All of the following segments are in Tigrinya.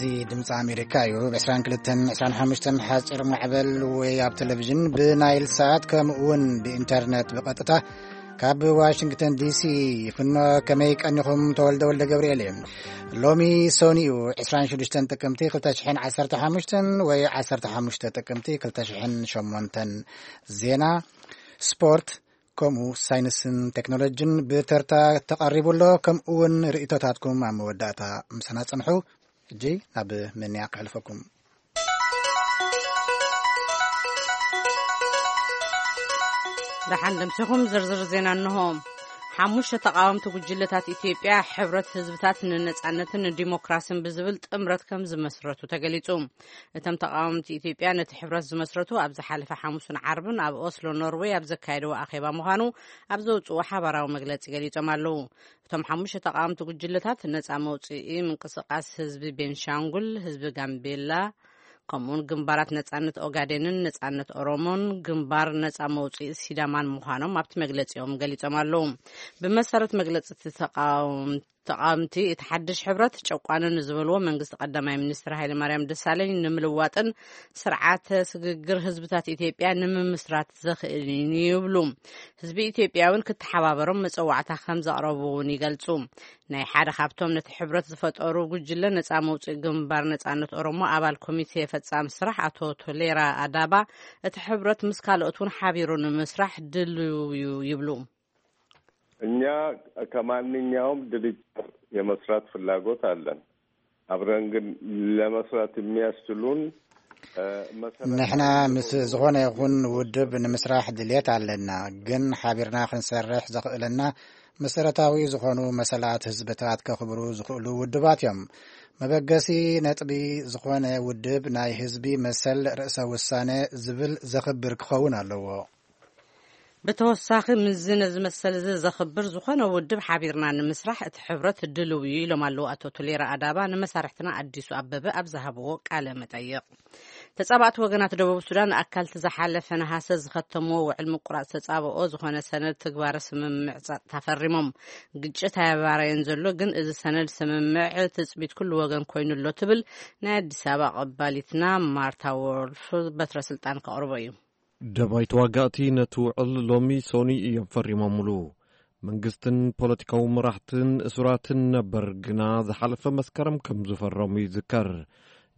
እዚ ድምፂ ኣሜሪካ እዩ። ብ22፣ ሓፂር ማዕበል ወይ ኣብ ቴሌቪዥን ብናይል ሳት፣ ከምኡ እውን ብኢንተርኔት ብቐጥታ ካብ ዋሽንግተን ዲሲ ይፍኖ። ከመይ ቀኒኹም? ተወልደ ወልደ ገብርኤል እየ። ሎሚ ሰኑይ እዩ፣ ዕስራን ሽዱሽተን ጥቅምቲ ክልተ ሽሕን ዓሰርተ ሓሙሽተን ወይ ዓሰርተ ሓሙሽተ ጥቅምቲ ክልተ ሽሕን ሸሞንተን። ዜና፣ ስፖርት፣ ከምኡ ሳይንስን ቴክኖሎጂን ብተርታ ተቐሪቡ ኣሎ። ከምኡ እውን ርእይቶታትኩም ኣብ መወዳእታ ምሳና ጽንሑ። ሕጂ ናብ ምንያ ክሕልፈኩም። ደሓን ደምሲኹም ዝርዝር ዜና እንሆ። ሓሙሽተ ተቃወምቲ ጉጅለታት ኢትዮጵያ ሕብረት ህዝብታት ንነጻነትን ንዲሞክራሲን ብዝብል ጥምረት ከም ዝመስረቱ ተገሊጹ። እቶም ተቃወምቲ ኢትዮጵያ ነቲ ሕብረት ዝመስረቱ ኣብ ዝሓለፈ ሓሙስን ዓርብን ኣብ ኦስሎ ኖርዌይ ኣብ ዘካየድዎ ኣኼባ ምዃኑ ኣብ ዘውፅዎ ሓባራዊ መግለፂ ገሊጾም ኣለዉ። እቶም ሓሙሽተ ተቃወምቲ ጉጅለታት ነፃ መውፅኢ ምንቅስቃስ ህዝቢ ቤንሻንጉል፣ ህዝቢ ጋምቤላ፣ ከምኡውን ግንባራት ነጻነት ኦጋዴንን ነጻነት ኦሮሞን ግንባር ነጻ መውፅኢ ሲዳማን ምዃኖም ኣብቲ መግለፂኦም ገሊጾም ኣለዉ። ብመሰረት መግለፂ እቲ ተቃወም- ተቃወምቲ፣ እቲ ሓድሽ ሕብረት ጨቋኒ ንዝበልዎ መንግስቲ ቀዳማይ ሚኒስትር ሃይለማርያም ደሳለኝ ንምልዋጥን ስርዓተ ስግግር ህዝብታት ኢትዮጵያ ንምምስራት ዘኽእል እዩ ይብሉ። ህዝቢ ኢትዮጵያ እውን ክተሓባበሮም መጸዋዕታ ከም ዘቕረቡ እውን ይገልጹ። ናይ ሓደ ካብቶም ነቲ ሕብረት ዝፈጠሩ ጉጅለ ነጻ መውፅኢ ግንባር ነጻነት ኦሮሞ ኣባል ኮሚቴ ፈጻሚ ስራሕ ኣቶ ቶሌራ ኣዳባ፣ እቲ ሕብረት ምስ ካልኦት እውን ሓቢሩ ንምስራሕ ድልው እዩ ይብሉ። እኛ ከማንኛውም ድርጅት የመስራት ፍላጎት አለን። አብረን ግን ለመስራት የሚያስችሉን፣ እ፣ መሰረታዊ ንሕና ምስ ዝኾነ ይኹን ውድብ ንምስራሕ ድልየት ኣለና፣ ግን ሓቢርና ክንሰርሕ ዘኽእለና መሰረታዊ ዝኾኑ መሰላት ህዝብታት ከኽብሩ ዝኽእሉ ውድባት እዮም። መበገሲ ነጥቢ ዝኾነ ውድብ ናይ ህዝቢ መሰል ርእሰ ውሳነ ዝብል ዘኽብር ክኸውን ኣለዎ። ብተወሳኺ፣ ምስዚ ነዚ መሰል እዚ ዘኽብር ዝኾነ ውድብ ሓቢርና ንምስራሕ እቲ ሕብረት ድልው እዩ ኢሎም ኣለዉ ኣቶ ቱሌራ ኣዳባ ንመሳርሕትና ኣዲሱ ኣበበ ኣብ ዝሃብዎ ቃለ መጠይቕ። ተጻባእቲ ወገናት ደቡብ ሱዳን ኣካልቲ ዝሓለፈ ነሃሰ ዝኸተምዎ ውዕል ምቁራጽ ተጻብኦ ዝኾነ ሰነድ ትግባረ ስምምዕ ጸጥታ ፈሪሞም። ግጭት ኣየባረየን ዘሎ፣ ግን እዚ ሰነድ ስምምዕ ትጽቢት ኩሉ ወገን ኮይኑ ኣሎ ትብል ናይ ኣዲስ ኣበባ ቀባሊትና ማርታ ዎልፍ በትረ ስልጣን ከቕርቦ እዩ። ደባይ ተዋጋእቲ ነቲ ውዕል ሎሚ ሶኒ እዮም ፈሪሞምሉ። መንግስትን ፖለቲካዊ መራሕትን እሱራትን ነበር ግና ዝሓለፈ መስከረም ከም ዝፈረሙ ይዝከር።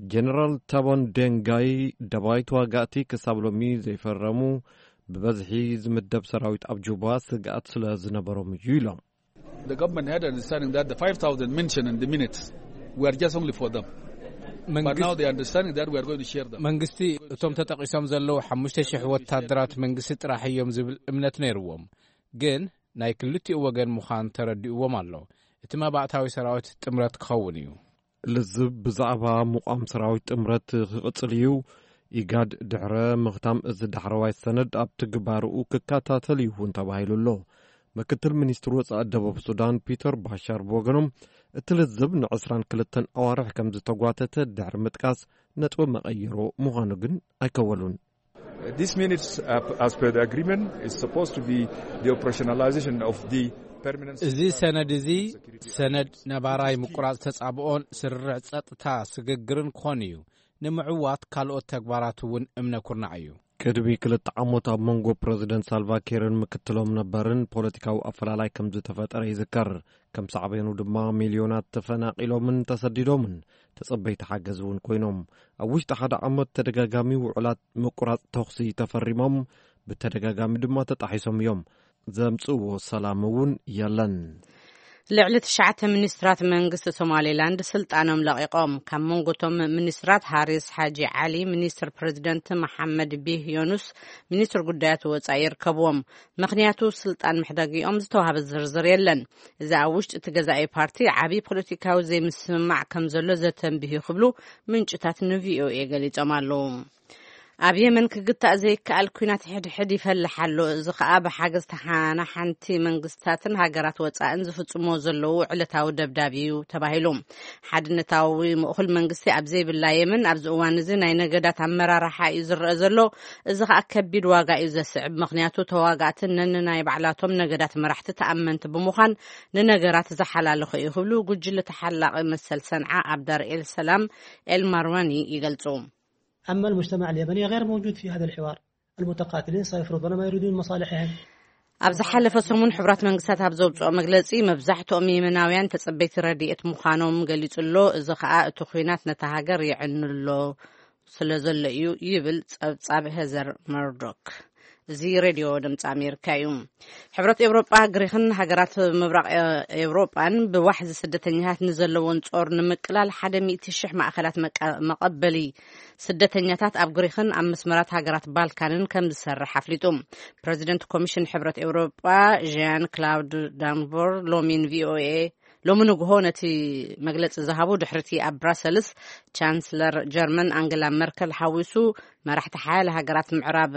ጀነራል ታቦን ደንጋይ ደባይ ተዋጋእቲ ክሳብ ሎሚ ዘይፈረሙ ብበዝሒ ዝምደብ ሰራዊት ኣብ ጁባ ስግኣት ስለ ዝነበሮም እዩ ኢሎም። The government had understanding that the five thousand mentioned in the minutes were just only for them. But መንግስቲ now they are understanding that we are going to share them. መንግስቲ እቶም ተጠቒሶም ዘለዉ ሓሙሽተ ሽሕ ወታደራት መንግስቲ ጥራሕ እዮም ዝብል እምነት ነይርዎም። ግን ናይ ክልቲኡ ወገን ምዃን ተረዲእዎም ኣሎ። እቲ መባእታዊ ሰራዊት ጥምረት ክኸውን እዩ። ልዝብ ብዛዕባ ምቋም ሰራዊት ጥምረት ክቕጽል እዩ። ኢጋድ ድሕረ ምኽታም እዚ ዳሕረዋይ ሰነድ ኣብ ትግባርኡ ክከታተል እዩ እውን ተባሂሉ ኣሎ። ምክትል ሚኒስትር ወጻኢ ደቡብ ሱዳን ፒተር ባሻር ብወገኖም፣ እቲ ልዝብ ን22 ኣዋርሕ ከም ዝተጓተተ ድሕሪ ምጥቃስ፣ ነጥቢ መቐይሮ ምዃኑ ግን ኣይከወሉን። This minutes, uh, as per the agreement, is supposed to be the operationalization of the permanent እዚ ሰነድ እዚ ሰነድ ነባራይ ምቁራጽ ተጻብኦን ስርርዕ ጸጥታ ስግግርን ክኾን እዩ። ንምዕዋት ካልኦት ተግባራት እውን እምነ ኩርናዕ እዩ። ቅድሚ ክልተ ዓመት ኣብ መንጎ ፕረዚደንት ሳልቫ ኪርን ምክትሎም ነበርን ፖለቲካዊ ኣፈላላይ ከም ዝተፈጠረ ይዝከር። ከም ሳዕቤኑ ድማ ሚልዮናት ተፈናቒሎምን ተሰዲዶምን ተጸበይቲ ሓገዝ እውን ኮይኖም። ኣብ ውሽጢ ሓደ ዓመት ተደጋጋሚ ውዕላት ምቁራጽ ተኹሲ ተፈሪሞም፣ ብተደጋጋሚ ድማ ተጣሒሶም እዮም። ዘምጽእዎ ሰላም እውን የለን። ልዕሊ ትሽዓተ ሚኒስትራት መንግስቲ ሶማሌላንድ ስልጣኖም ለቒቖም። ካብ መንጎ እቶም ሚኒስትራት ሃሪስ ሓጂ ዓሊ ሚኒስትር ፕረዚደንት፣ መሓመድ ቢህ ዮኑስ ሚኒስትር ጉዳያት ወጻኢ ይርከብዎም። ምኽንያቱ ስልጣን ምሕዳግኦም ዝተዋህበ ዝርዝር የለን። እዚ ኣብ ውሽጢ እቲ ገዛኢ ፓርቲ ዓቢ ፖለቲካዊ ዘይምስምማዕ ከም ዘሎ ዘተንብህ እዩ ክብሉ ምንጭታት ን ቪ ኦ ኤ ገሊጾም ኣለዉ። ኣብ የመን ክግታእ ዘይከኣል ኲናት ሕድሕድ ይፈልሕ ኣሎ። እዚ ከኣ ብሓገዝ ተሓናሓንቲ መንግስታትን ሃገራት ወጻእን ዝፍጽሞ ዘለዉ ዕለታዊ ደብዳብ እዩ ተባሂሉ። ሓድነታዊ ምእኹል መንግስቲ ኣብ ዘይብላ የመን ኣብዚ እዋን እዚ ናይ ነገዳት ኣመራርሓ እዩ ዝረአ ዘሎ። እዚ ከኣ ከቢድ ዋጋ እዩ ዘስዕብ። ምኽንያቱ ተዋጋእትን ነንናይ ባዕላቶም ነገዳት መራሕቲ ተኣመንቲ ብምዃን ንነገራት ዝሓላልኹ እዩ ክብሉ ጉጅለ ተሓላቒ መሰል ሰንዓ ኣብዳር ኤል ሰላም ኤል ማርዋኒ ይገልጹ። أما المجتمع اليمني غير موجود في هذا الحوار. المتقاتلين سيفرضون ما يريدون مصالحهم. ኣብ ዝሓለፈ ሰሙን ሕቡራት መንግስታት ኣብ ዘውፅኦ መግለፂ መብዛሕትኦም የመናውያን ተፀበይቲ ረድኤት ምዃኖም ገሊፁ ኣሎ። እዚ ከዓ እቲ ኲናት ነታ ሃገር የዕንሎ ስለ ዘሎ እዩ ይብል ፀብፃብ ሄዘር መርዶክ። እዚ ሬድዮ ድምፂ ኣሜሪካ እዩ። ሕብረት ኤውሮጳ፣ ግሪኽን ሃገራት ምብራቕ ኤውሮጳን ብዋሕዚ ስደተኛታት ንዘለዎን ጾር ንምቅላል ሓደ ሚእቲ ሽሕ ማእኸላት መቀ- መቐበሊ ስደተኛታት ኣብ ግሪኽን ኣብ መስመራት ሃገራት ባልካንን ከም ዝሰርሕ ኣፍሊጡ። ፕረዚደንት ኮሚሽን ሕብረት ኤውሮጳ ዣን ክላውድ ዳንቮር ሎሚን ቪኦኤ ሎሚ ንግሆ ነቲ መግለጺ ዝሃቡ ድሕርቲ ኣብ ብራሰልስ ቻንስለር ጀርመን ኣንገላ መርከል ሓዊሱ መራሕቲ ሓያለ ሃገራት ምዕራብ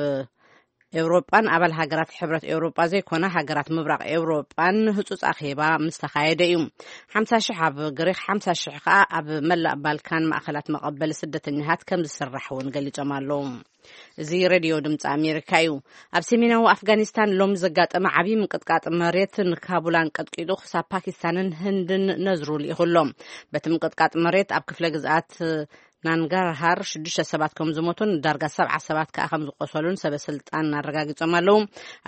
ኤውሮጳን ኣባል ሃገራት ሕብረት ኤውሮጳ ዘይኮና ሃገራት ምብራቕ ኤውሮጳን ህጹጽ ኣኼባ ምስ ተኻየደ እዩ። ሓምሳ ሽሕ ኣብ ግሪኽ፣ ሓምሳ ሽሕ ከኣ ኣብ መላእ ባልካን ማእኸላት መቐበሊ ስደተኛታት ከም ዝስራሕ እውን ገሊጾም ኣለዉ። እዚ ሬድዮ ድምፂ ኣሜሪካ እዩ። ኣብ ሰሜናዊ ኣፍጋኒስታን ሎም ዘጋጠመ ዓብዪ ምንቅጥቃጥ መሬት ንካቡል ኣንቀጥቂጡ ክሳብ ፓኪስታንን ህንድን ነዝሩ ልኢኹ ኣሎ። በቲ ምንቅጥቃጥ መሬት ኣብ ክፍለ ግዝኣት ናንጋርሃር ሽዱሽተ ሰባት ከም ዝሞቱን ዳርጋ ሰብዓ ሰባት ከኣ ከም ዝቆሰሉን ሰበ ስልጣን ኣረጋጊጾም ኣለዉ።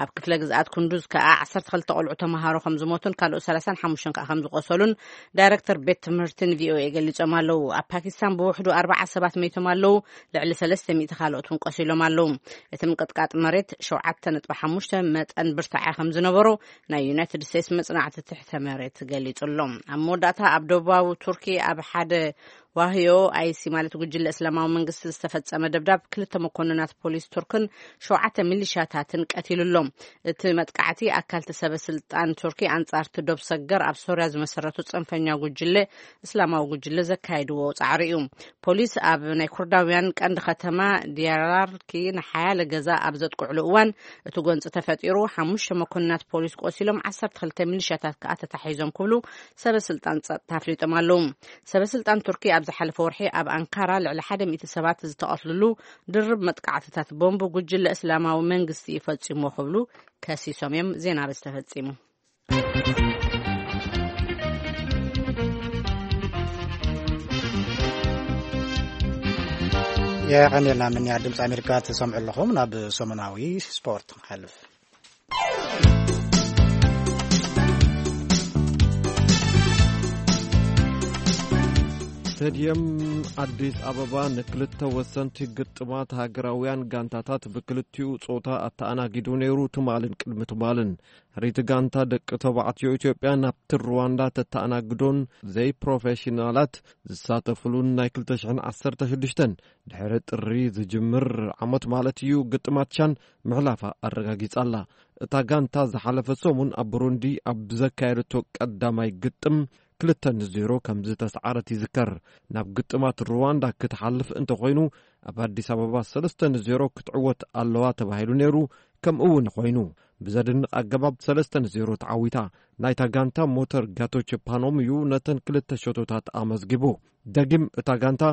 ኣብ ክፍለ ግዝኣት ኩንዱዝ ከኣ ዓሰርተ ክልተ ቆልዑ ተምሃሮ ከም ዝሞቱን ካልኦት ሰላሳን ሓሙሽተን ከኣ ከም ዝቆሰሉን ዳይረክተር ቤት ትምህርትን ቪኦኤ ገሊጾም ኣለዉ። ኣብ ፓኪስታን ብውሕዱ ኣርባዓ ሰባት መይቶም ኣለዉ። ልዕሊ ሰለስተ ሚእቲ ካልኦት እውን ቆሲሎም ኣለዉ። እቲ ምንቅጥቃጥ መሬት ሸውዓተ ነጥቢ ሓሙሽተ መጠን ብርታዐ ከም ዝነበሮ ናይ ዩናይትድ ስቴትስ መጽናዕቲ ትሕተ መሬት ገሊጹ ኣሎ። ኣብ መወዳእታ ኣብ ደቡባዊ ቱርኪ ኣብ ሓደ ዋህዮ ኣይሲ ማለት ጉጅለ እስላማዊ መንግስቲ ዝተፈጸመ ደብዳብ ክልተ መኮንናት ፖሊስ ቱርክን ሸውዓተ ሚሊሻታትን ቀቲሉ ኣሎ። እቲ መጥቃዕቲ ኣካልቲ ሰበ ስልጣን ቱርኪ ኣንጻርቲ ዶብ ሰገር ኣብ ሶርያ ዝመሰረቱ ጽንፈኛ ጉጅለ እስላማዊ ጉጅለ ዘካየድዎ ጻዕሪ እዩ። ፖሊስ ኣብ ናይ ኩርዳውያን ቀንዲ ከተማ ዲያላርኪ ንሓያለ ገዛ ኣብ ዘጥቅዕሉ እዋን እቲ ጎንፂ ተፈጢሩ ሓሙሽተ መኮንናት ፖሊስ ቆሲሎም ዓሰርተ ክልተ ሚሊሻታት ከኣ ተታሒዞም ክብሉ ሰበ ስልጣን ጸጥታ ኣፍሊጦም ኣለዉ። ሰበ ስልጣን ቱርኪ ኣብ ዝሓለፈ ወርሒ ኣብ ኣንካራ ልዕሊ ሓደ ሚእቲ ሰባት ዝተቐትልሉ ድርብ መጥቃዕትታት ቦምብ ጉጅለ እስላማዊ መንግስቲ እዩ ፈጺሞ ክብሉ ከሲሶም እዮም። ዜና በዚ ተፈጺሙ። የቐንየልና ምንያ ድምፂ ኣሜሪካ ትሰምዑ ኣለኹም። ናብ ሰሙናዊ ስፖርት ንሓልፍ። ስቴድየም ኣዲስ ኣበባ ንክልተ ወሰንቲ ግጥማት ሃገራውያን ጋንታታት ብክልቲኡ ጾታ ኣተኣናጊዱ ነይሩ። ትማልን ቅድሚ ትማልን ሕሪቲ ጋንታ ደቂ ተባዕትዮ ኢትዮጵያ ናብቲ ሩዋንዳ ተተኣናግዶን ዘይፕሮፌሽናላት ዝሳተፍሉን ናይ ክልተ ሽሕን ዓሰርተ ሽዱሽተን ድሕሪ ጥሪ ዝጅምር ዓመት ማለት እዩ ግጥማት ቻን ምሕላፋ ኣረጋጊጻ ኣላ። እታ ጋንታ ዝሓለፈ ሰሙን ኣብ ብሩንዲ ኣብ ዘካየደቶ ቀዳማይ ግጥም ክልተ ንዜሮ ከም ዝተስዓረት ይዝከር። ናብ ግጥማት ሩዋንዳ ክትሓልፍ እንተኾይኑ ኣብ ኣዲስ ኣበባ ሰለስተ ንዜሮ ክትዕወት ኣለዋ ተባሂሉ ነይሩ። ከምኡ እውን ኮይኑ ብዘድንቕ ኣገባብ ሰለስተ ንዜሮ ተዓዊታ። ናይታ ጋንታ ሞተር ጋቶች ፓኖም እዩ ነተን ክልተ ሸቶታት ኣመዝጊቡ። ደጊም እታ ጋንታ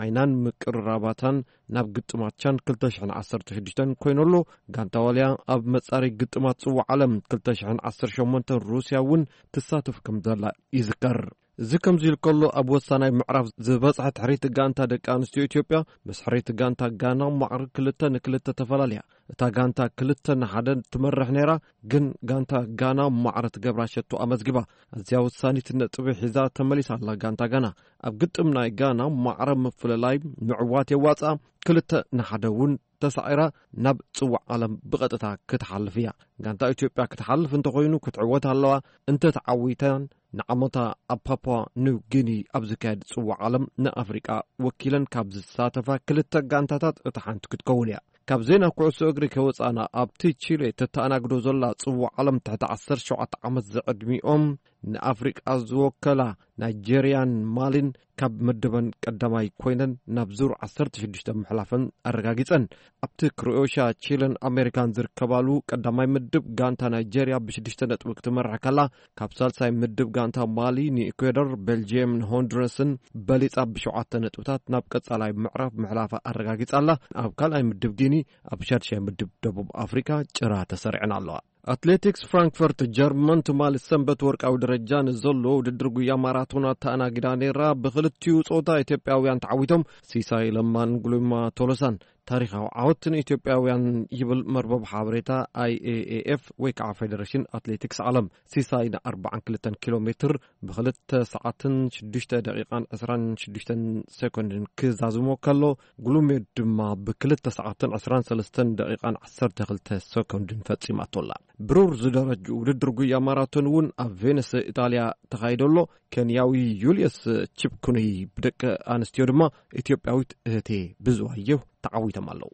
ዓይናን ምቅርራባታን ናብ ግጥማት ቻን ክልተ ሽሕን ዓሰርተ ሽዱሽተን ኮይነሎ። ጋንታ ዋልያ ኣብ መጻረይ ግጥማት ጽዋዕ ዓለም ክልተ ሽሕን ዓሰርተ ሸሞንተን ሩስያ እውን ትሳተፍ ከም ዘላ ይዝከር። እዚ ከምዚ ኢሉ ከሎ ኣብ ወሳናይ ምዕራፍ ዝበጽሐት ሕሪት ጋንታ ደቂ ኣንስትዮ ኢትዮጵያ ምስ ሕሪት ጋንታ ጋና ማዕሪ ክልተ ንክልተ ተፈላልያ። እታ ጋንታ ክልተ ንሓደ ትመርሕ ነይራ፣ ግን ጋንታ ጋና ማዕረ ትገብራ ሸቶ ኣመዝጊባ። ኣዝያ ወሳኒት ነጥቢ ሒዛ ተመሊሳ ኣላ ጋንታ ጋና። ኣብ ግጥም ናይ ጋና ማዕረ ምፍልላይ ምዕዋት የዋጽኣ፣ ክልተ ንሓደ እውን ተሳዒራ ናብ ጽዋዕ ዓለም ብቐጥታ ክትሓልፍ እያ። ጋንታ ኢትዮጵያ ክትሓልፍ እንተኾይኑ ክትዕወት ኣለዋ። እንተተዓዊታን ንዓመታ ኣብ ፓፓ ኒው ጊኒ ኣብ ዝካየድ ጽዋዕ ዓለም ንኣፍሪቃ ወኪለን ካብ ዝሳተፋ ክልተ ጋንታታት እታ ሓንቲ ክትከውን እያ። ካብ ዜና ኩዕሶ እግሪ ከወጻና ኣብቲ ቺሌ ተተኣናግዶ ዘላ ጽዋዕ ዓለም ትሕቲ ዓሰርተ ሸውዓተ ዓመት ዝዕድሚኦም ንኣፍሪቃ ዝወከላ ናይጄርያን ማሊን ካብ ምድበን ቀዳማይ ኮይነን ናብ ዙር ዓሰርተ ሽዱሽተ ምሕላፈን ኣረጋጊጸን። ኣብቲ ክሮኤሽያ፣ ቺለን ኣሜሪካን ዝርከባሉ ቀዳማይ ምድብ፣ ጋንታ ናይጄርያ ብሽዱሽተ ነጥቢ ክትመርሕ ከላ፣ ካብ ሳልሳይ ምድብ ጋንታ ማሊ ንኢኳዶር፣ ቤልጅየም ንሆንዱረስን በሊጻ ብሸውዓተ ነጥብታት ናብ ቀጻላይ ምዕራፍ ምሕላፋ ኣረጋጊጻ ኣላ። ኣብ ካልኣይ ምድብ ጊኒ፣ ኣብ ሻድሻይ ምድብ ደቡብ ኣፍሪካ ጭራ ተሰሪዐን ኣለዋ። ኣትሌቲክስ ፍራንክፈርት ጀርመን ትማሊ ሰንበት ወርቃዊ ደረጃ ንዘሎ ውድድር ጉያ ማራቶን ኣተኣናጊዳ ነይራ። ብክልቲኡ ጾታ ኢትዮጵያውያን ተዓዊቶም፣ ሲሳይ ለማን ጉሉማ ቶሎሳን። ታሪኻዊ ዓወት ንኢትዮጵያውያን ይብል መርበብ ሓበሬታ ኣይ ኤ ኤ ኤፍ ወይ ከዓ ፌደሬሽን ኣትሌቲክስ ዓለም። ሲሳይ ን ኣርባዓን ክልተን ኪሎ ሜትር ብክልተ ሰዓትን ሽዱሽተ ደቂቃን ዕስራን ሽዱሽተን ሰኮንድን ክዛዝሞ ከሎ፣ ጉሉሜ ድማ ብክልተ ሰዓትን ዕስራን ሰለስተን ደቂቃን ዓሰርተ ክልተ ሰኮንድን ፈጺማቶ ኣላ። ብሩር ዝደረጅ ውድድር ጉያ ማራቶን እውን ኣብ ቬነስ ኢጣልያ ተኻይዶ ኣሎ። ኬንያዊ ዩልየስ ቺፕኩኑይ ብደቂ ኣንስትዮ ድማ ኢትዮጵያዊት እህቴ ብዙኣየሁ ተዓዊቶም ኣለዉ።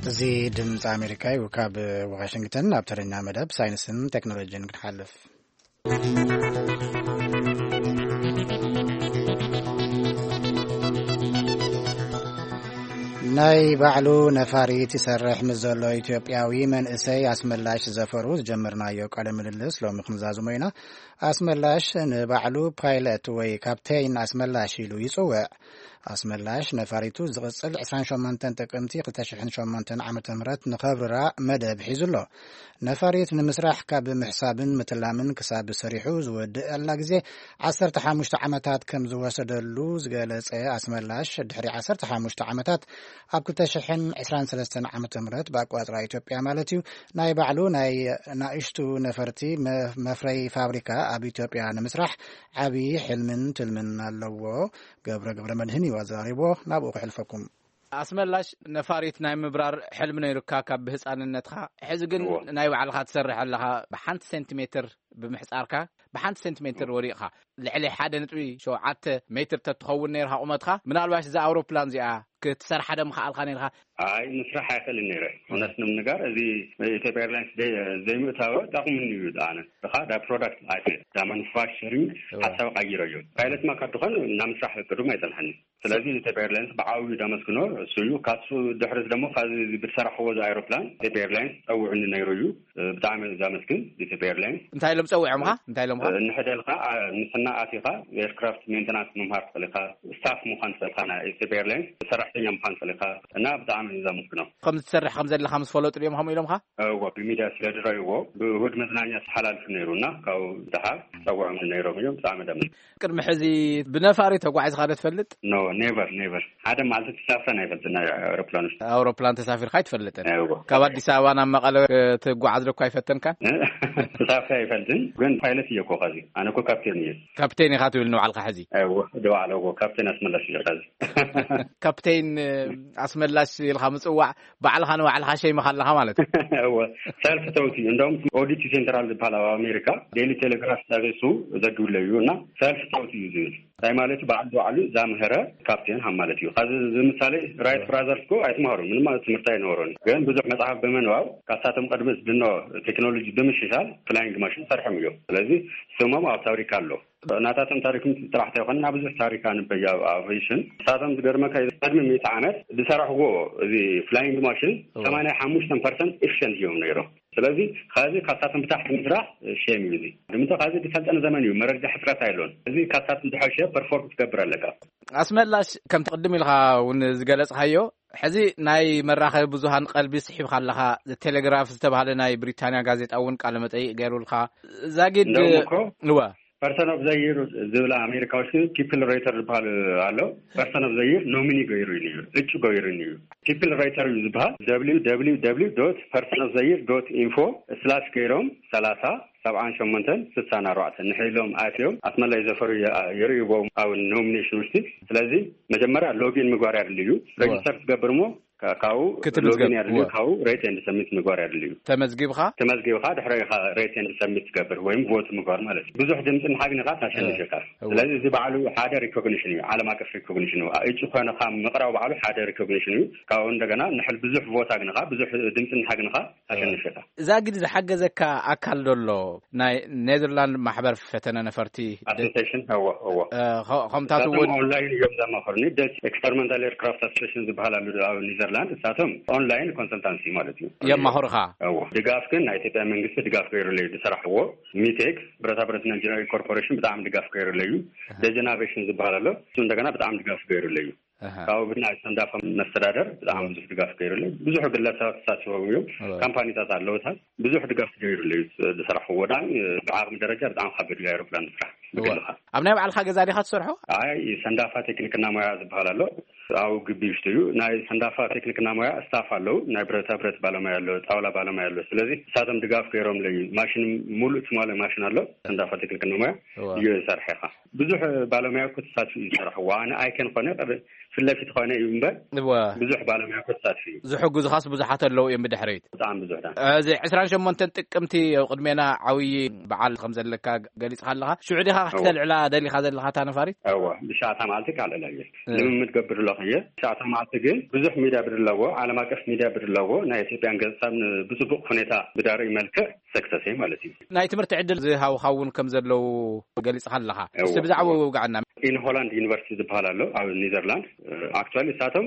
እዚ ድምፂ ኣሜሪካ እዩ። ካብ ዋሽንግተን ናብ ተረኛ መደብ ሳይንስን ቴክኖሎጂን ክንሓልፍ። ናይ ባዕሉ ነፋሪት ይሰርሕ ምስ ዘሎ ኢትዮጵያዊ መንእሰይ ኣስመላሽ ዘፈሩ ዝጀመርናዮ ቃለ ምልልስ ሎሚ ክንዛዝሞ ኢና። ኣስመላሽ ንባዕሉ ፓይለት ወይ ካፕቴን ኣስመላሽ ኢሉ ይጽውዕ። ኣስመላሽ ነፋሪቱ ዝቕጽል ዕስራን ሸሞንተን ጥቅምቲ ክልተ ሽሕን ሸሞንተን ዓመተ ምህረት ንኸብርራ መደብ ሒዙ ኣሎ። ነፋሪት ንምስራሕ ካብ ምሕሳብን ምትላምን ክሳብ ሰሪሑ ዝወድእ ኣላ ግዜ ዓሰርተ ሓሙሽተ ዓመታት ከም ዝወሰደሉ ዝገለጸ ኣስመላሽ፣ ድሕሪ ዓሰርተ ሓሙሽተ ዓመታት ኣብ ክልተ ሽሕን ዕስራን ሰለስተን ዓመተ ምህረት ብኣቆጻጽራ ኢትዮጵያ ማለት እዩ፣ ናይ ባዕሉ ናይ ናእሽቱ ነፈርቲ መ-፣ መፍረይ ፋብሪካ ኣብ ኢትዮጵያ ንምስራሕ ዓቢ ሕልምን ትልምን ኣለዎ። ገብረ ገብረ መድህን እዩ ኣዘራሪቦ። ናብኡ ክሕልፈኩም። ኣስመላሽ፣ ነፋሪት ናይ ምብራር ሕልሚ ነይሩካ ካብ ብህፃንነትካ። ሕዚ ግን እዎ። ናይ ባዕልኻ ትሰርሕ ኣለኻ። ብሓንቲ ሴንቲሜትር ብምሕፃርካ፣ ብሓንቲ ሴንቲሜትር ወዲቕኻ። ልዕሊ ሓደ ነጥቢ ሸውዓተ ሜትር ተትኸውን ነይርካ ቁመትካ፣ ምናልባሽ እዛ ኣውሮፕላን እዚኣ ክትሰርሓ ዶ ምኸኣልካ ነይርካ? ኣይ፣ ምስራሕ ኣይኽእልን ነይረ። እውነት ንምንጋር፣ እዚ ኢትዮጵያ ኤርላይንስ ደይ-፣ ዘይምእታወ ጠቕሙኒ እዩ። ኣነ እኻ ዳ ፕሮዳክት ኣይተ ዳ ማኑፋክቸሪንግ እዋ። ሓሳብ ቀይረ እዩ። ፓይለት ማ ካብ ድኾን ናብ ምስራሕ ቅዱም ኣይጸንሐኒ። ስለዚ ኢትዮጵያ ኤርላይንስ ብዓብዩ ዳመስግኖ እሱ እዩ። ካሱ ድሕሪት ደግሞ ካብዚ ብዝሰራሕዎ እዚ ኣይሮፕላን ኢትዮጵያ ኤርላይንስ ጸውዑኒ ነይሩ እዩ። ብጣዕሚ ዛመስግን ኢትዮጵያ ኤርላይንስ። እንታይ ኢሎም ጸዊዖምኻ? እንታይ ኢሎምኻ? እንሕደልካ፣ አ-፣ ንስና ኣቲኻ ኤርክራፍት ሜንተናንስ ምምሃር ትኽእል ኢኻ፣ ስታፍ ምዃን ትኽእል ኢኻ፣ ናይ ኢትዮጵያ ኤርላይንስ ሰራሕተኛ ምዃን ትኽእል ኢኻ እና ብጣዕሚ እዩ ዘመስግኖ። ከም ዝትሰርሕ ከም ዘለኻ ምስ ፈለጡ ድዮም ከምኡ ኢሎምኻ? እዎ፣ ብሚድያ ስለ ዝረእይዎ ብእሁድ መዝናኛ ተሓላልፉ ነይሩ እና ካብኡ ደሓር ጸውዖም ነይሮም እዮም። ብጣዕሚ ደም ቅድሚ ሕዚ ብነፋሪ ተጓዒዝካ ዶ ትፈልጥ? ኖ፣ ኔቨር፣ ኔቨር። ሓደ መዓልቲ ተሳፍረን ኣይፈልጥን ናይ ኣውሮፕላን ውሽጢ። ኣውሮፕላን ተሳፊርካ ኣይትፈልጥን? እዎ። ካብ ኣዲስ ኣበባ ናብ መቐለ ክትጓዓዝ ዶ እኳ ኣይፈተንካን? ተሳፍረ ኣይፈልጥን፣ ግን ፓይለት እየ እኮ ኸዚ። ኣነ እኮ ካፕቴን እየ። ካፕቴን ኢኻ ትብል ንባዕልካ ሕዚ? እዎ፣ ንባዕለ እዎ፣ ካፕቴን ኣስመላሽ እየ ኸዚ። ካፕቴን ኣስመላሽ ኢልካ ምጽዋዕ ባዕልኻ ንባዕልኻ ሸይምኻ ኣለኻ ማለት እዩ። እወ፣ ሰልፍ ተውት እዩ። እንደውም ኦዲቲ ሴንትራል ዝበሃል ኣብ ኣሜሪካ ዴይሊ ቴሌግራፍ ሰርቪሱ ዘግብለ እዩ እና ሰልፍ ተውት እዩ ዝብል። እንታይ ማለት እዩ? በዓል ባዕሉ ዛምህረ ካፕቴን ሃም ማለት እዩ። ካብዚ ዝምሳሌ ራይት ብራዘርስ እኮ ኣይተማሃሩ፣ ምንም ማለት ትምህርቲ ኣይነበሮን። ግን ብዙሕ መጽሓፍ ብምንባብ ካብሳቶም ቅድሚ ዝድኖ ቴክኖሎጂ ብምሽሻል ፍላይንግ ማሽን ሰርሖም እዮም። ስለዚ ስሞም ኣብ ታሪክ ኣሎ። ናታቶም ታሪክ ምስ ጥራሕ ተይኮነ፣ ናብ ብዙሕ ታሪክ ኣንበይ ኣብ ኣቪዬሽን። ንሳቶም ዝገርመካ እዩ፣ ቅድሚ ሚእቲ ዓመት ዝሰራሕዎ እዚ ፍላይንግ ማሽን እዎ። ሰማንያ ሓሙሽተ ፐርሰንት ኤፊሽንት እዮም ነይሮም። ስለዚ፣ ካብዚ ካብሳቶም ብታሕቲ ምስራሕ ሼም እዩ እዚ። ንምንታይ ካብዚ ዝሰልጠነ ዘመን እዩ፣ መረጃ ሕፅረት ኣይሎን። እዚ ካብሳቶም ዝሐሸ ፐርፎርም ክትገብር ኣለካ። ኣስመላሽ፣ ከምቲ ቅድም ኢልካ እውን ዝገለጽካዮ፣ ሕዚ ናይ መራኸቢ ብዙሃን ቀልቢ ስሒብካ ኣለኻ። ቴሌግራፍ ዝተባህለ ናይ ብሪታንያ ጋዜጣ እውን ቃለ መጠይቅ ገይሩልካ። ዛጊድ እንደውም እኮ እወ። ፐርሰን ኦፍ ዘይር ዝብላ ኣሜሪካዎች ግን ፒፕል ሬተር ዝበሃል ኣሎ። ፐርሰን ኦፍ ዘይር ኖሚኒ ገይሩ እዩ፣ እጩ ገይሩ እዩ። ፒፕል ሬተር እዩ ዝበሃል። ደብሊው ደብሊው ደብሊው ዶት ፐርሰን ኦፍ ዘይር ዶት ኢንፎ ስላሽ ገይሮም ሰላሳ ሰብዓን ሸሞንተን ስሳን ኣርባዕተን ንሕሎም ኣትዮም ኣስመላይ ዘፈሩ የ- የርእይዎም ኣብ ኖሚኔሽን ውሽጢ። ስለዚ መጀመርያ ሎጊን ምግባር ያድልዩ። ሬጅስተር ትገብር እሞ ካብኡ ክትምዝገብ፣ ሎጊን ያድልዩ። እወ። ካብኡ ሬት ኤንድ ሰሚት ምግባር ያድልዩ። ተመዝጊብኻ? ተመዝጊብኻ ድሕሪ ኢኻ ሬት ኤንድ ሰሚት ትገብር ወይም ቮት ምግባር ማለት እዩ። ብዙሕ ድምፂ ንሓግንኻ ታሸንፍ ኢኻ። እወ። ስለዚ እዚ ባዕሉ ሓደ ሪኮግኒሽን እዩ፣ ዓለም ኣቀፍ ሪኮግኒሽን እዩ። እጩ ኮይንኻ ምቕራብ ባዕሉ ሓደ ሪኮግኒሽን እዩ። ካብኡ እንደገና ንሕል ብዙሕ ቮት ኣግንኻ ብዙሕ ድምፂ ንሓግንኻ ታሸንፍ ኢኻ። እዛ ግን ዝሓገዘካ ኣካል ደሎ ናይ ኔዘርላንድ ማሕበር ፈተነ ነፈርቲ ኣሶሲሽን እዎ እዎ። ከምታት እውን ኦንላይን እዮም ዘማኸሩኒ። ደች ኤክስፐሪመንታል ኤርክራፍት ኣሶሲሽን ዝበሃል ኣሉ ኣብ ኔዘርላንድ። እሳቶም ኦንላይን ኮንሰልታንሲ ማለት እዩ። የማኽሩኻ። እዎ ድጋፍ ግን ናይ ኢትዮጵያ መንግስቲ ድጋፍ ገይሩለዩ ዝሰራሕዎ። ሚቴክ ብረታ ብረትና ኢንጂነሪንግ ኮርፖሬሽን ብጣዕሚ ድጋፍ ገይሩለዩ። ደጀን ኣቬሽን ዝበሃል ኣሎ፣ እሱ እንደገና ብጣዕሚ ድጋፍ ገይሩለዩ። ካብኡ ብናይ ሰንዳፋ መስተዳደር ብጣዕሚ ብዙሕ ድጋፍ ገይሩለዩ። ብዙሕ ግለሰባት ተሳትፎም እዮም። ካምፓኒታት ኣለውታት ብዙሕ ድጋፍ ገይሩለዩ። ዝሰራሕዎ ወዳን ብዓቕሚ ደረጃ ብጣዕሚ ካብ ገድሊ ኣይሮፕላን ስራሕ ብግልኻ። ኣብ ናይ ባዕልኻ ገዛ ዲኻ ትሰርሖ? ኣይ ሰንዳፋ ቴክኒክና ሞያ ዝበሃል ኣሎ። ኣብ ግቢ ውሽጢ እዩ። ናይ ሰንዳፋ ቴክኒክና ሞያ ስታፍ ኣለዉ። ናይ ብረታ ብረት ባለሙያ ኣሎ፣ ጣውላ ባለሙያ ኣሎ። ስለዚ እሳቶም ድጋፍ ገይሮምለዩ። ማሽን ሙሉእ ትማለ ማሽን ኣሎ። ሰንዳፋ ቴክኒክና ሞያ እዩ ዝሰርሐኻ። ብዙሕ ባለሙያ እኮ ተሳትፉ እዩ ዝሰርሕዎ። ኣነ ኣይከን ኮነ ፊት ለፊት ኮነ እዩ እምበር እወ። ብዙሕ ባለሙያ እኮ ተሳትፉ እዩ። ዝሕግዙኻስ ብዙሓት ኣለዉ እዮም ብድሕሪት። ብጣዕሚ ብዙሕ ዳ። እዚ ዕስራን ሸሞንተን ጥቅምቲ ኣብ ቅድሜና ዓብዪ በዓል ከም ዘለካ ገሊጽካ ኣለኻ። ሽዑ ዲኻ እወ። ክተልዕላ ደሊኻ ዘለኻ እታ ነፋሪት? እወ ብሻዕታ መዓልቲ ካልዕላ እየ። ልምምድ ገብር ኣለኹ እየ። ብሻዕታ መዓልቲ ግን ብዙሕ ሚድያ ብድለዎ፣ ዓለም ኣቀፍ ሚድያ ብድለዎ ናይ ኢትዮጵያን ገጽታን ብጽቡቕ ሁኔታ ብዳርኢ መልክዕ ሰክሰስ ማለት እዩ። ናይ ትምህርቲ ዕድል ዝሃውኻ እውን ከም ዘለዉ ገሊጽካ ኣለኻ። እወ፣ እስቲ ብዛዕባ እወ። ውግዓና። ኢን ሆላንድ ዩኒቨርሲቲ ዝበሃል ኣሎ ኣብ ኔዘርላንድ። ኣክቹዋሊ እሳቶም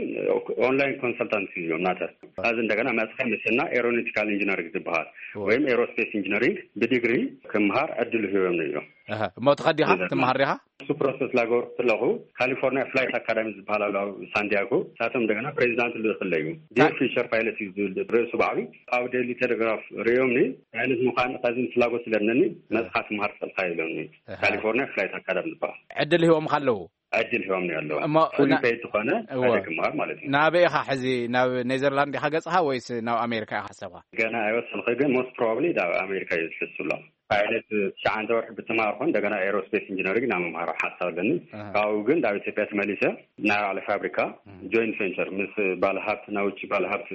ኦንላይን ኮንሰልታንሲ እዮም ናተ። እዚ እንደገና መጽኸ ምስና ኤሮኖቲካል ኢንጂነሪንግ ዝበሃል እወ። ወይም ኤሮስፔስ ኢንጂነሪንግ ብዲግሪ ክምሃር ዕድል ሂቦም እዮም። እሞ ትኸዲኻ ትመሃር ዲኻ? እሱ ፕሮሰስ ላገበርኩ ከለኹ ካሊፎርኒያ ፍላይት ኣካዳሚ ዝበሃል ኣሎ ኣብ ሳንዲያጎ። እሳቶም እንደገና ፕሬዚዳንት ልእክለዩ ዲር ፊሸር ፓይለት እዩ ዝብል ርእሱ ባዕሉ። ኣብ ዴሊ ቴሌግራፍ ርእዮምኒ ፓይለት ምዃን ከዚ ፍላጎት ስለነኒ መፅኻ ትምሃር ትኽእልካ ኢሎምኒ። ካሊፎርኒያ ፍላይት ኣካዳሚ ዝበሃል ዕድል ሂቦምካ ኣለዉ። ዕድል ሂቦምኒ ኣለዉ። እሞ ፉሊ ና- ፔድ ዝኾነ እወ። ሓደ ክምሃር ማለት እዩ። ናበይ ኢኻ ሕዚ? ናብ ኔዘርላንድ ኢኻ ገጽኻ ወይስ ናብ ኣሜሪካ ኢኻ ሓሳብካ? ገና ኣይወሰንኩ፣ ግን ሞስት ፕሮባብሊ ናብ ኣሜሪካ እዩ ዝሕሱ ኣሎ። ፓይለት ትሽዓተ ወርሒ ብትምሃር ኮን እንደገና ኤሮስፔስ ኢንጂነሪንግ ናብ ምምሃር ሓሳብ ኣለኒ። ካብኡ ግን ናብ ኢትዮጵያ ተመሊሰ ናይ ባዕለ ፋብሪካ ጆይንት ቬንቸር ምስ ባለሃብት ናይ ውጭ ባለሃብት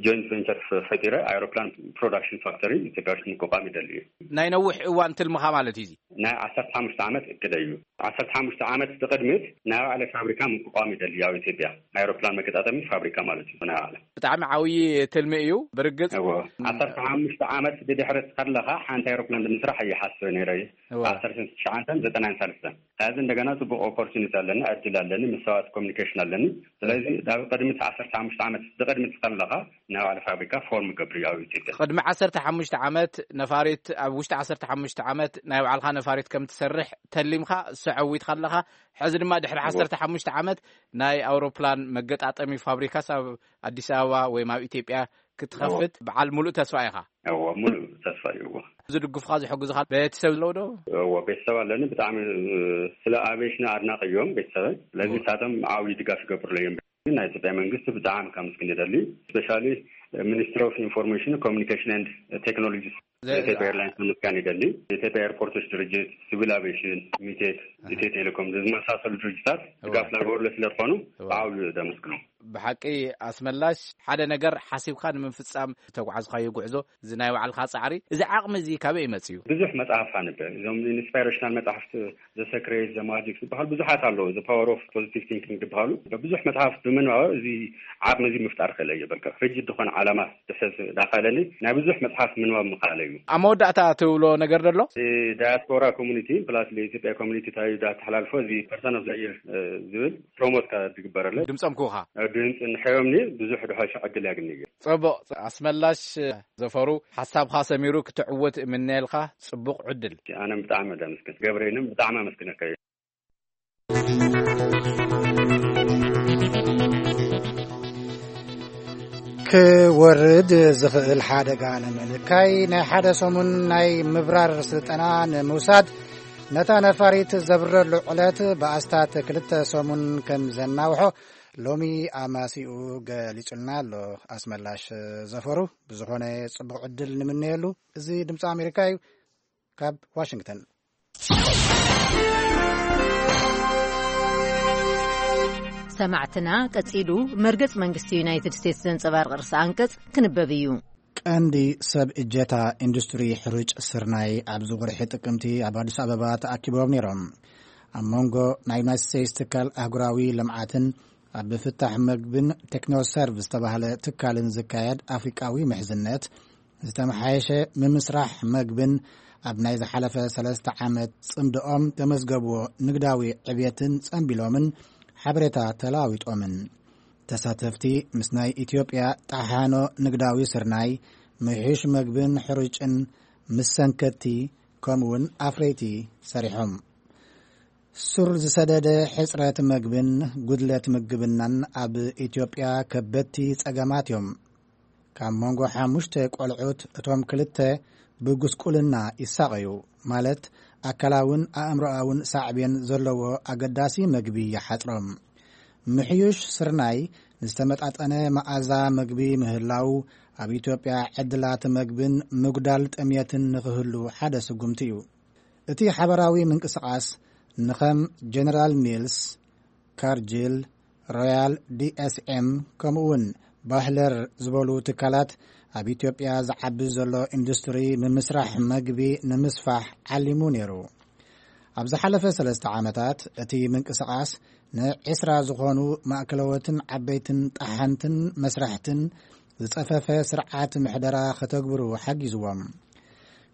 ጆይንት ቬንቸር ፈጢረ ኣይሮፕላን ፕሮዳክሽን ፋክተሪ ኢትዮጵያ ውሽጢ ምቋቋም ይደሊ እዩ። ናይ ነዊሕ እዋን ትልምኻ ማለት እዩ እዚ? ናይ ዓሰርተ ሓሙሽተ ዓመት እቅደ እዩ። ዓሰርተ ሓሙሽተ ዓመት ብቅድሚት ናይ ባዕለ ፋብሪካ ምቋቋም ይደሊ ኣብ ኢትዮጵያ ኣይሮፕላን መገጣጠሚ ፋብሪካ ማለት እዩ። ናይ ባዕለ ብጣዕሚ ዓብዪ ትልሚ እዩ። ብርግጽ እዎ። ዓሰርተ ሓሙሽተ ዓመት ብድሕሪ ከለኻ ሓንቲ ኣይሮፕላን ንምስራሕ እየ ሓስበ ነይረ። እዎ። ዓሰርተ ትሽዓተን ዘጠናን ሳልስተን። ሕዚ እንደገና ጽቡቕ ኦፖርቹኒቲ ኣለኒ፣ ዕድል ኣለኒ፣ ምስ ሰባት ኮሚኒኬሽን ኣለኒ። ስለዚ ናብ ቅድሚት ዓሰርተ ሓሙሽተ ዓመት ብቅድሚት ከለኻ ናይ ባዕለ ፋብሪካ ፎርም ገብር እዩ ኣብ ኢትዮጵያ። ቅድሚ ዓሰርተ ሓሙሽተ ዓመት ነፋሪት፣ ኣብ ውሽጢ ዓሰርተ ሓሙሽተ ዓመት ናይ ባዕልኻ ነፋሪት ከም ትሰርሕ ተሊምካ፣ እሱ ዓዊትካ ኣለኻ። ሕዚ ድማ ድሕሪ ዓሰርተ ሓሙሽተ ዓመት ናይ ኣውሮፕላን መገጣጠሚ ፋብሪካስ ኣብ ኣዲስ ኣበባ ወይም ኣብ ኢትዮጵያ ክትኸፍት በዓል ሙሉእ ተስፋ ኢኻ። እዎ፣ ሙሉእ ተስፋ እዩ። እዎ። ዝድግፉኻ ዝሕግዙኻ ቤተሰብ ኣለዉ ዶ? እዎ፣ ቤተሰብ ኣለኒ። ብጣዕሚ ስለ ኣቬሽን ኣድናቂ እዮም ቤተሰበይ። ስለዚ እዎ። ንሳቶም ዓብዪ ድጋፍ ይገብሩለይ እዮም። ግን ናይ ኢትዮጵያ መንግስቲ ብጣዕሚ ካብ ምስግን ይደሊ። ስፔሻሊ ሚኒስትሪ ኦፍ ኢንፎርሜሽን ኮሚኒኬሽን ኤንድ ቴክኖሎጂ ዘ- ኢትዮጵያ ኤርላይንስ ምስጋን ይደሊ። ኢትዮጵያ ኤርፖርቶች ድርጅት፣ ሲቪል ኣቪዬሽን፣ ሚቴክ፣ ኢትዮ ቴሌኮም ዝመሳሰሉ ድርጅታት እወ። ድጋፍ ላገበሩለ ስለ ዝኾኑ እወ። ብዓብዩ ደመስግኖም። ብሓቂ ኣስመላሽ፣ ሓደ ነገር ሓሲብካ ንምፍጻም ተጓዓዝካዮ ጉዕዞ፣ እዚ ናይ ባዕልካ ጻዕሪ፣ እዚ ዓቕሚ እዚ ካበይ መጽዩ? ብዙሕ መጽሓፍ ኣንበ። እዞም ኢንስፓይሬሽናል መጽሓፍቲ ዘ ሰክሬት፣ ዘ ማጂክ ዝበሃል ብዙሓት ኣለዉ። ዘ ፓወር ኦፍ ፖዚቲቭ ቲንኪንግ ዝበሃሉ ብዙሕ መጽሓፍ ብምንባብ እዚ ዓቕሚ እዚ ምፍጣር ክእል እየ። በቃ ሪጅድ ዝኾነ ዓላማ ድሕዝ ዳኸለኒ ናይ ብዙሕ መጽሓፍ ምንባብ ምኽኣለ እዩ። ኣብ መወዳእታ ትብሎ ነገር ደሎ? ዳያስፖራ ኮሚኒቲ ፕላስ ኢትዮጵያ ኮሚኒቲ እንታይ ዳተሓላልፎ እዚ ፐርሰን ኦፍ ዘየር ዝብል ፕሮሞት ዝግበረለ ድምፆም ክውኻ ድምፂ ንሕዮምኒ ብዙሕ ድሖ ሸዕግል ያግኒ እዩ። ፅቡቕ ኣስመላሽ ዘፈሩ ሓሳብኻ ሰሚሩ ክትዕወት እምነየልካ። ፅቡቕ ዕድል። ኣነ ብጣዕሚ ደምስክን ገብረይንም ብጣዕሚ ኣመስግነካ እዩ። ክወርድ ዝኽእል ሓደጋ ንምንካይ ናይ ሓደ ሰሙን ናይ ምብራር ስልጠና ንምውሳድ ነታ ነፋሪት ዘብረሉ ዕለት ብኣስታት ክልተ ሰሙን ከም ዘናውሖ ሎሚ ኣማሲኡ ገሊጹልና ኣሎ ኣስመላሽ ዘፈሩ። ብዝኾነ ጽቡቕ ዕድል ንምነየሉ። እዚ ድምፂ ኣሜሪካ እዩ። ካብ ዋሽንግተን። ሰማዕትና፣ ቀጺሉ መርገጽ መንግስቲ ዩናይትድ ስቴትስ ዘንጸባርቕ ርእሰ ኣንቀጽ ክንበብ እዩ። ቀንዲ ሰብ እጀታ ኢንዱስትሪ ሕሩጭ ስርናይ ኣብዚ ወርሒ ጥቅምቲ ኣብ ኣዲስ ኣበባ ተኣኪቦም ነይሮም። ኣብ መንጎ ናይ ዩናይትድ ስቴትስ ትካል ኣህጉራዊ ልምዓትን ኣብ ፍታሕ መግብን ቴክኖሰርቭ ዝተባህለ ትካልን ዝካየድ ኣፍሪቃዊ ምሕዝነት ዝተመሓየሸ ምምስራሕ መግብን ኣብ ናይ ዝሓለፈ ሰለስተ ዓመት ጽምድኦም ተመዝገብዎ ንግዳዊ ዕብየትን ጸንቢሎምን ሓበሬታ ተለዋዊጦምን። ተሳተፍቲ ምስ ናይ ኢትዮጵያ ጣሓኖ ንግዳዊ ስርናይ፣ ምሕሽ መግብን ሕሩጭን፣ ምስ ሰንከቲ ከምኡውን ኣፍረይቲ ሰሪሖም። ሱር ዝሰደደ ሕጽረት መግብን ጉድለት ምግብናን ኣብ ኢትዮጵያ ከበድቲ ጸገማት እዮም። ካብ መንጎ ሓሙሽተ ቆልዑት እቶም ክልተ ብጉስቁልና ይሳቐዩ፣ ማለት ኣካላውን ኣእምሮኣውን ሳዕቤን ዘለዎ ኣገዳሲ መግቢ ይሓጽሮም። ምሕዩሽ ስርናይ ንዝተመጣጠነ መኣዛ መግቢ ምህላው ኣብ ኢትዮጵያ ዕድላት መግብን ምጉዳል ጥምየትን ንኽህሉ ሓደ ስጉምቲ እዩ። እቲ ሓበራዊ ምንቅስቓስ ንኸም ጀነራል ሚልስ፣ ካርጅል፣ ሮያል ዲኤስኤም ከምኡውን ባህለር ዝበሉ ትካላት ኣብ ኢትዮጵያ ዝዓቢ ዘሎ ኢንዱስትሪ ምምስራሕ መግቢ ንምስፋሕ ዓሊሙ ነይሩ። ኣብ ዝሓለፈ ሰለስተ ዓመታት እቲ ምንቅስቓስ ንዒስራ ዝኾኑ ማእከለዎትን ዓበይትን ጣሓንትን መስራሕትን ዝጸፈፈ ስርዓት ምሕደራ ከተግብሩ ሓጊዝዎም።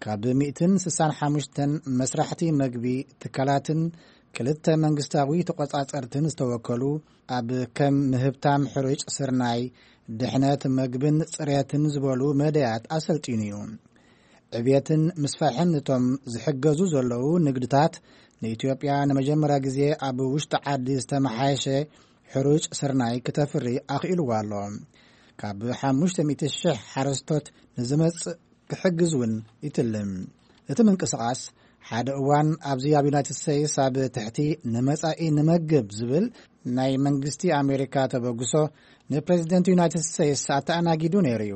ካብ ሚእትን ስሳን ሓሙሽተን መስራሕቲ መግቢ ትካላትን ክልተ መንግስታዊ ተቖጻጸርትን ዝተወከሉ ኣብ ከም ምህብታም ሕሩጭ ስርናይ፣ ድሕነት መግብን ጽሬትን ዝበሉ መደያት ኣሰልጢኑ እዩ። ዕብየትን ምስፋሕን እቶም ዝሕገዙ ዘለዉ ንግድታት ንኢትዮጵያ ንመጀመርያ ግዜ ኣብ ውሽጢ ዓዲ ዝተመሓየሸ ሕሩጭ ስርናይ ክተፍሪ ኣኽኢልዋ ኣሎ። ካብ ሓሙሽተ ሚእቲ ሽሕ ሓረስቶት ንዝመጽእ ክሕግዝ እውን ይትልም። እቲ ምንቅስቓስ ሓደ እዋን ኣብዚ ኣብ ዩናይትድ ስቴትስ ኣብ ትሕቲ ንመጻኢ ንመግብ ዝብል ናይ መንግስቲ ኣሜሪካ ተበግሶ ንፕሬዚደንት ዩናይትድ ስቴትስ ኣተኣናጊዱ ነይሩ እዩ።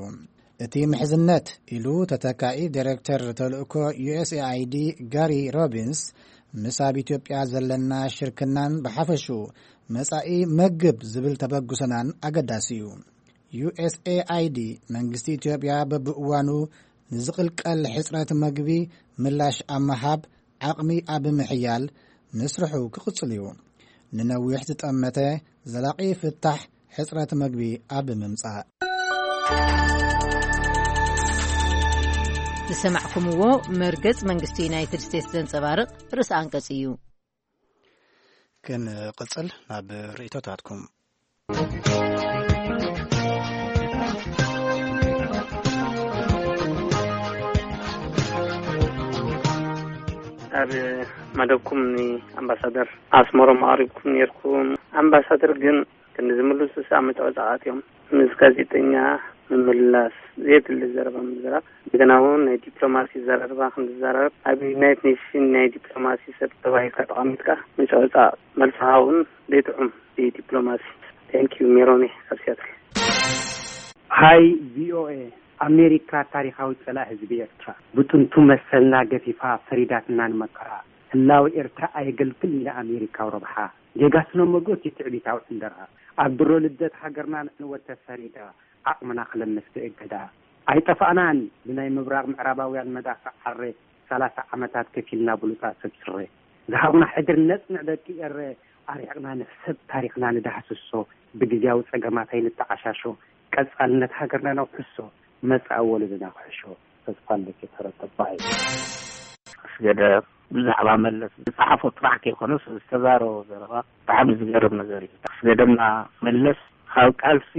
እቲ ምሕዝነት ኢሉ ተተካኢ ዳይሬክተር ተልእኮ ዩኤስኤኣይዲ ጋሪ ሮቢንስ፣ ምስ ኣብ ኢትዮጵያ ዘለና ሽርክናን ብሓፈሽኡ መጻኢ መግብ ዝብል ተበግሶናን ኣገዳሲ እዩ። ዩኤስኤኣይዲ መንግስቲ ኢትዮጵያ በብእዋኑ ንዝቕልቀል ሕጽረት መግቢ ምላሽ ኣብ ምሃብ ዓቕሚ ኣብ ምሕያል ምስርሑ ክቕጽል እዩ። ንነዊሕ ዝጠመተ ዘላቒ ፍታሕ ሕጽረት መግቢ ኣብ ምምጻእ። ዝሰማዕኩምዎ መርገጽ መንግስቲ ዩናይትድ ስቴትስ ዘንጸባርቕ ርእሰ ኣንቀጽ እዩ። ክንቕጽል ናብ ርእይቶታትኩም። ኣብ መደብኩም ንኣምባሳደር ኣስመሮም ኣቕሪብኩም ነይርኩም። ኣምባሳደር ግን ክንዲ ዝምልሱ ኣብ መጨረሻ ኣትዮም ምስ ጋዜጠኛ ምምላስ ዘየድሊ ዘረባ ምዝራብ፣ እንደገና እውን ናይ ዲፕሎማሲ ዘረባ ክንዝራረብ ኣብ ዩናይትድ ኔሽን ናይ ዲፕሎማሲ ሰብ ተባሂልካ ተቐሚጥካ መጨረሻ መልስኻ እውን ዘይጥዑም ብዲፕሎማሲ። Thank you ሜሮኒ ካብ ሲያትል። ሃይ ቪኦኤ፣ ኣሜሪካ ታሪኻዊ ጸላኢ ህዝቢ ኤርትራ፣ ብጥንቱ መሰልና ገፊፋ ፈሪዳትና ንመከራ። ህላወ ኤርትራ ኣየገልግልን ንኣሜሪካዊ ረብሓ። ጌጋ ስነ መጎት እዩ ትዕቢታዊ ዕንደራ። ኣብ ድሮ ልደት ሃገርና ንዕንወት ተፈሪዳ፣ ዓቕምና ክለምስ ብእገዳ። ኣይጠፋእናን ብናይ ምብራቕ ምዕራባውያን መዳፍዕ ዓረ፣ ሰላሳ ዓመታት ከፊልና ብሉጻት ሰብ ስረ። ዝሃቡና ሕድሪ ነጽንዕ ደቂ ኤረ፣ ኣርሒቕና ንሕሰብ ታሪኽና ንዳህስሶ፣ ብግዝያዊ ጸገማት ኣይንተዓሻሾ፣ ቀጻልነት ሃገርና ነውሕሶ፣ መጻኢ ወለዶና ክሕሾ። ተስፋ ኣለኪ ተረተባይ። ኣስገደ ብዛዕባ መለስ ዝጸሓፎ ጥራሕ ከይኮነስ ዝተዛረቦ ዘረባ ብጣዕሚ ዝገርም ነገር እዩ። ኣስገደና መለስ ካብ ቃልሲ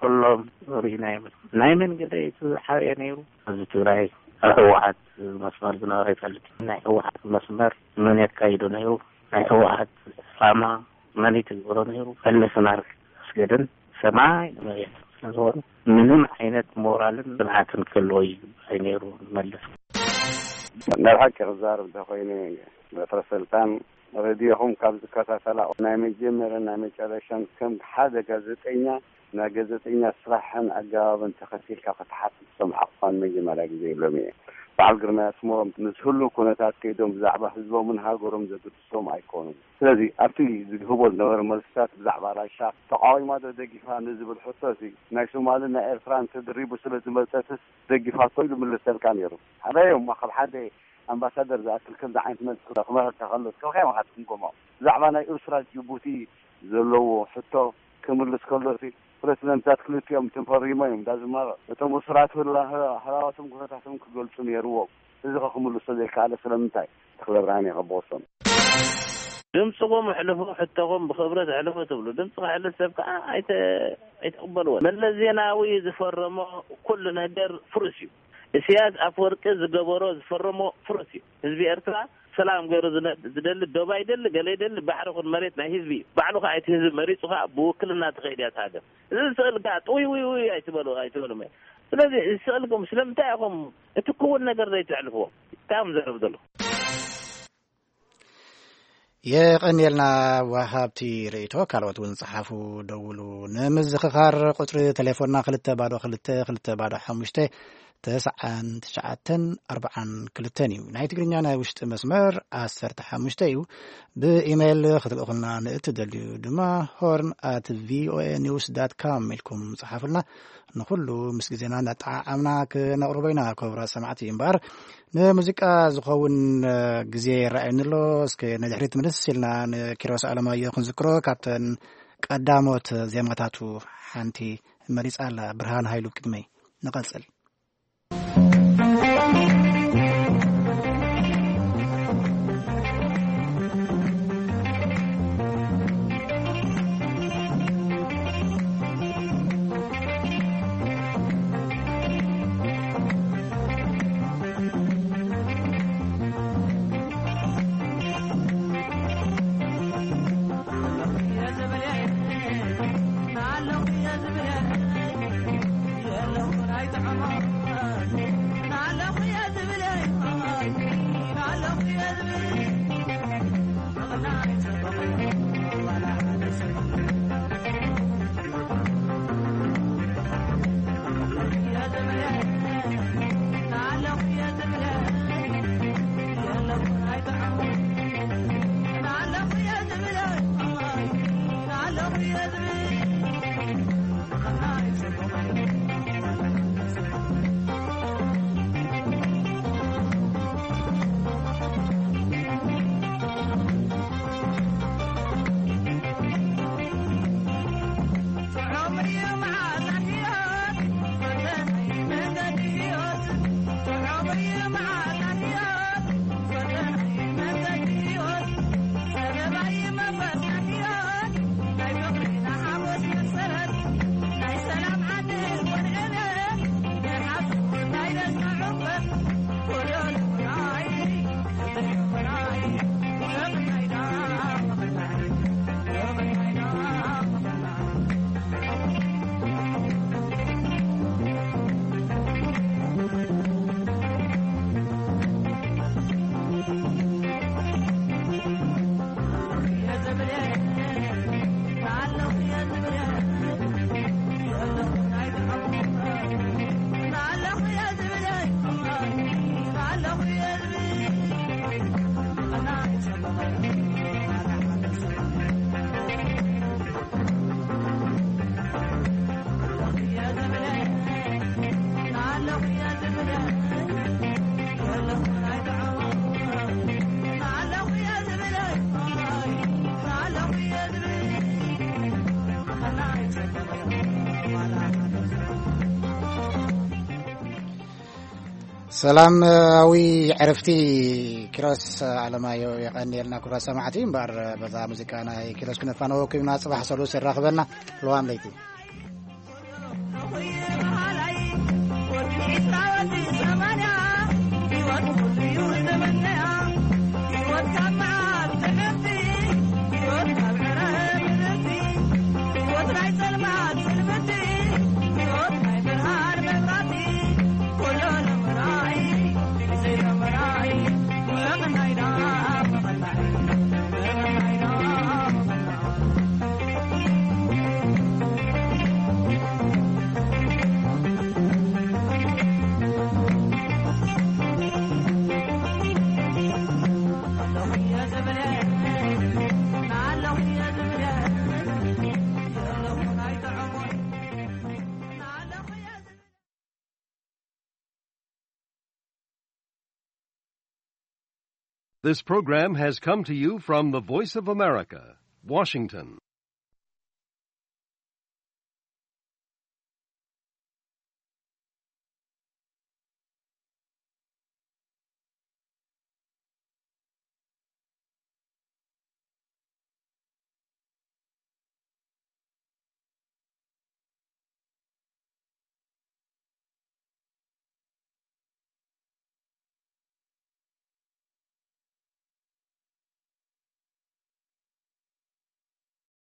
ኩሎም ርኢናዮም። ናይ መን ገዳይ እቲ ዝሓበየ ነይሩ? ህዝቢ ትግራይ ኣብ ህወሓት መስመር ዝነበረ ይፈልጥ። ናይ ህወሓት መስመር መን የካይዶ ነይሩ? ናይ ህወሓት ዕላማ መን ይትግብሮ ነይሩ? መለስን ኣስገደን ሰማይ ንመሬት ስለዝኾኑ ምንም ዓይነት ሞራልን ጽንዓትን ክህልዎ እዩ ኣይነይሩ መለስ። ናይ ሓቂ ክዛረብ እንተኾይነ በትረ ስልጣን ሬድዮኹም ካብ ዝከታተላ ናይ መጀመርያን ናይ መጨረሻን ከም ሓደ ጋዜጠኛ ናይ ጋዜጠኛ ስራሕን ኣገባብን ተኸቲልካ ክትሓትት ዝሰምዓኹ እኳ ንመጀመርያ ግዜ ኢሎም እየ። በዓል ግርማይ ኣስመሮም ምስ ህሉው ኩነታት ከይዶም ብዛዕባ ህዝቦምን ሃገሮም ዘገድሶም ኣይኮኑን። ስለዚ ኣብቲ ዝህቦ ዝነበረ መልስታት ብዛዕባ ራሻ ተቃዊማ ዶ ደጊፋ ንዝብል ሕቶ፣ እዚ ናይ ሶማልን ናይ ኤርትራን ተደሪቡ ስለ ዝመጸትስ ደጊፋቶ ኢሉ ምልሰልካ ነይሩ። ሓደ እዮም ካብ ሓደ ኣምባሳደር ዝኣክል ከምዚ ዓይነት መልሲ ክመሃካ ከሎ ከብካ ኢኻ ትግምገሞ። ብዛዕባ ናይ ኤርትራ ጅቡቲ ዘለዎ ሕቶ ክምልስ ከሎ፣ ፕሬዚደንታት ክልቲኦም ተፈሪሞ እዮም እንዳ ዝማረቑ። እቶም እሱራት ህላ-፣ ህላዋቶም ኩነታቶም ክገልጹ ነይርዎም። እዚ ኸ ክምልሶ ዘይከኣለ ስለምንታይ? ተኽለ ብርሃን የቐበወሶም። ድምፅኹም ኣሕልፉ፣ ሕቶኹም ብኽብረት ኣሕልፉ ትብሉ። ድምፂ ከሕልፍ ሰብ ከዓ ኣይተ-፣ ኣይተቕበልዎን። መለስ ዜናዊ ዝፈረሞ ኩሉ ነገር ፍሩስ እዩ። ኢሳያስ ኣፈወርቂ ዝገበሮ ዝፈረሞ ፍሩስ እዩ። ህዝቢ ኤርትራ ሰላም ገይሩ ዝነ-፣ ዝደሊ፣ ዶብ ኣይደሊ፣ ገለ ይደሊ፣ ባሕሪ ኹን መሬት ናይ ህዝቢ እዩ። ባዕሉ ከዓ እቲ ህዝቢ መሪፁ ከዓ ብውክልና ትኸይድ እያ እታ ሃገር። እዚ ስእሊ ከዓ ጥውይ ውይ ውይ ኣይትበሉ፣ ኣይትበሉ መ-፣ ስለዚ እዚ ስእልኩም ስለምንታይ ኢኹም እቲ ክውን ነገር ዘይተሕልፍዎ? እንታይ እዮም ዘረብ ዘለኹም? የቐንየልና ወሃብቲ ርእይቶ። ካልኦት እውን ጸሓፉ፣ ደውሉ። ንምዝኽኻር ቁጽሪ ቴሌፎንና ክልተ ባዶ ክልተ ክልተ ባዶ ሓሙሽተ ተስዓን ትሽዓተን ኣርብዓን ክልተን እዩ። ናይ ትግርኛ ናይ ውሽጢ መስመር ዓሰርተ ሓሙሽተ እዩ። ብኢሜይል ክትልእኹልና ንእትደልዩ ድማ ሆርን ኣት ቪኦኤ ኒውስ ዳት ካም ኢልኩም ጸሓፉልና። ንኹሉ ምስ ግዜና እናጠዓዓምና ክነቕርቦ ኢና። ክቡራት ሰማዕቲ፣ እምበኣር ንሙዚቃ ዝኸውን፣ እ፣ ግዜ ይረኣየኒ ኣሎ። እስከ ንድሕሪት ምልስ ኢልና ንኪሮስ ኣለማዮ ክንዝክሮ፣ ካብተን ቀዳሞት ዜማታቱ ሓንቲ መሪጻ ኣላ፣ ብርሃን ሃይሉ። ቅድመይ ንቐጽል። ሰላማዊ ዕረፍቲ ኪሮስ ኣለማዮ የቐንየልና። ክቡራት ሰማዕቲ፣ እምበኣር በዛ ሙዚቃ ናይ ኪሮስ ክነፋነወኩም ኢና። ጽባሕ ሰሉስ ይራኽበና። ለዋም ለይቲ። This program has come to you from the Voice of America, Washington.